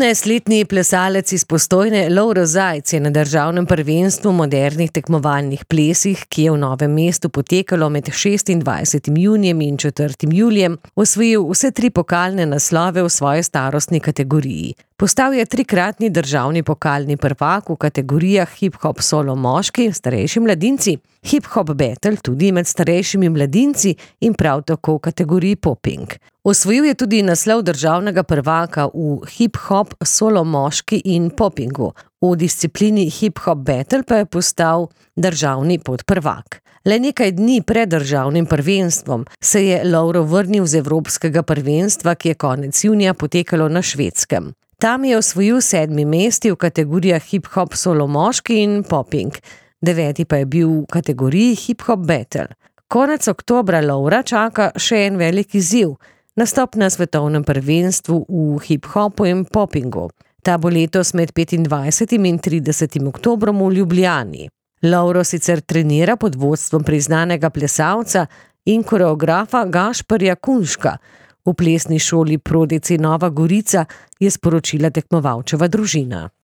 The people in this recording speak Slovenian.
15-letni plesalec iz Postojne Lovro Zajc je na državnem prvenstvu modernih tekmovalnih plesih, ki je v Novem mestu potekalo med 26. junijem in 4. julijem, osvojil vse 3 pokalne naslove v svoji starostni kategoriji. Postal je 3-kratni državni pokalni prvak v kategorijah hip-hop solo moški, starejši mladinci, hip-hop battle tudi med starejšimi mladinci in prav tako v kategoriji popping. Osvojil je tudi naslov državnega prvaka v hip-hop solo moški in poppingu. V disciplini hip-hop battle pa je postal državni podprvak. Le nekaj dni pred državnim prvenstvom se je Lovro vrnil z evropskega prvenstva, ki je konec junija potekalo na Švedskem. Tam je osvojil 7. mesti v kategorijah hip-hop solo moški in popping. 9. pa je bil v kategoriji hip-hop battle. Konec oktobra Lovra čaka še en velik izziv. Nastop na svetovnem prvenstvu v hip-hopu in poppingu. Ta bo letos med 25. in 30. oktobrom v Ljubljani. Lovro sicer trenira pod vodstvom priznanega plesalca in koreografa Gašperja Kunška. V plesni šoli Prodeci Nova Gorica je sporočila tekmovalčeva družina.